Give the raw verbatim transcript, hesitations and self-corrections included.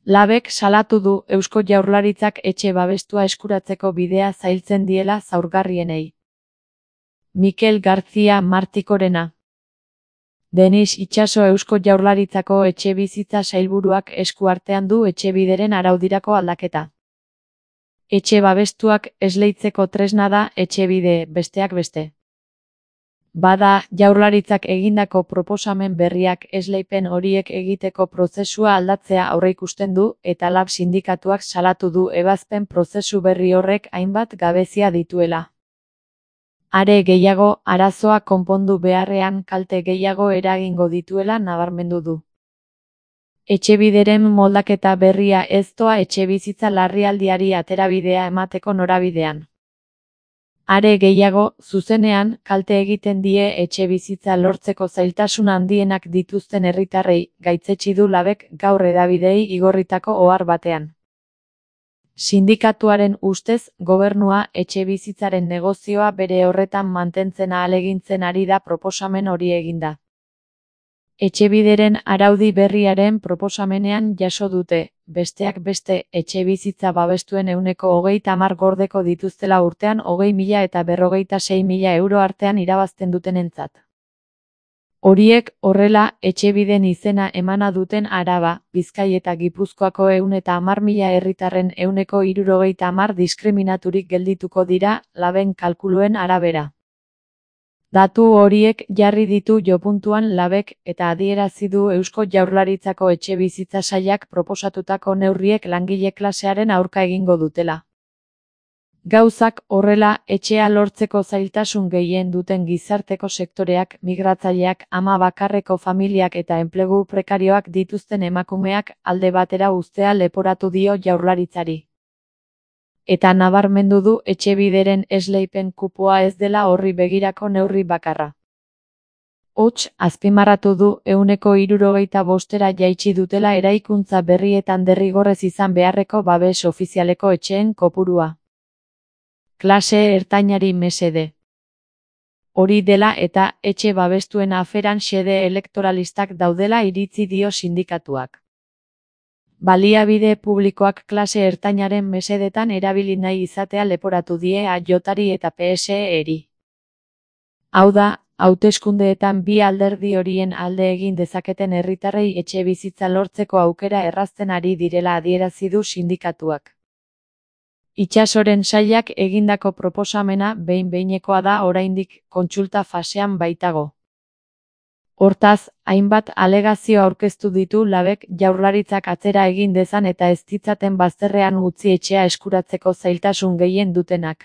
Labek salatu du Eusko Jaurlaritzak etxe babestua eskuratzeko bidea zailtzen diela zaurgarrienei. Mikel García Martikorena. Denis Itxaso Eusko Jaurlaritzako etxebizitza sailburuak esku artean du etxebideren araudirako aldaketa. Etxe babestuak esleitzeko tresna da etxebide, besteak beste. Bada, Jaurlaritzak egindako proposamen berriak esleipen horiek egiteko prozesua aldatzea aurreikusten du eta Lab sindikatuak salatu du ebazpen prozesu berri horrek hainbat gabezia dituela. Are gehiago, arazoa konpondu beharrean kalte gehiago eragingo dituela nabarmendu du. Etxebideren moldaketa berria ez doa etxebizitza larrialdiari aterabidea emateko norabidean. Are gehiago, zuzenean, kalte egiten die etxebizitza lortzeko zailtasun handienak dituzten herritarrei, gaitzetsi du Labek gaur hedabideei igorritako ohar batean. Sindikatuaren ustez, gobernua etxebizitzaren negozioa bere horretan mantentzen ahalegintzen ari da proposamen hori eginda. Etxebideren araudi berriaren proposamenean jaso dute, besteak beste, etxebizitza babestuen ehuneko hogeita hamar gordeko dituztela urtean hogei mila eta berrogeita sei mila euro artean irabazten dutenentzat. Horiek, horrela, etxebiden izena emana duten Araba, Bizkai eta Gipuzkoako ehun eta hamar mila herritarren ehuneko hirurogeita hamar diskriminaturik geldituko dira, Laben kalkuluen arabera. Datu horiek jarri ditu jopuntuan Labek eta adierazi du Eusko Jaurlaritzako etxebizitza sailak proposatutako neurriek langile klasearen aurka egingo dutela. Gauzak horrela, etxea lortzeko zailtasun gehien duten gizarteko sektoreak, migratzaileak, ama bakarreko familiak eta enplegu prekarioak dituzten emakumeak alde batera uztea leporatu dio Jaurlaritzari. Eta nabarmendu du etxebideren esleipen kupoa ez dela horri begirako neurri bakarra. Hots, azpimarratu du ehuneko hirurogeita bostera jaitsi dutela eraikuntza berrietan derrigorrez izan beharreko babes ofizialeko etxeen kopurua. Klase ertainari mesede. Hori dela eta etxe babestuen aferan xede elektoralistak daudela iritzi dio sindikatuak. Baliabide publikoak klase ertainaren mesedetan erabili nahi izatea leporatu die A Jari eta P S E-eri. Hau da, hauteskundeetan bi alderdi horien alde egin dezaketen herritarrei etxebizitza lortzeko aukera errazten ari direla adierazi du sindikatuak. Itxasoren sailak egindako proposamena behin-behinekoa da oraindik kontsulta fasean baitago. Hortaz, hainbat alegazio aurkeztu ditu Labek Jaurlaritzak atzera egin dezan eta ez ditzaten bazterrean utzi etxea eskuratzeko zailtasun gehien dutenak.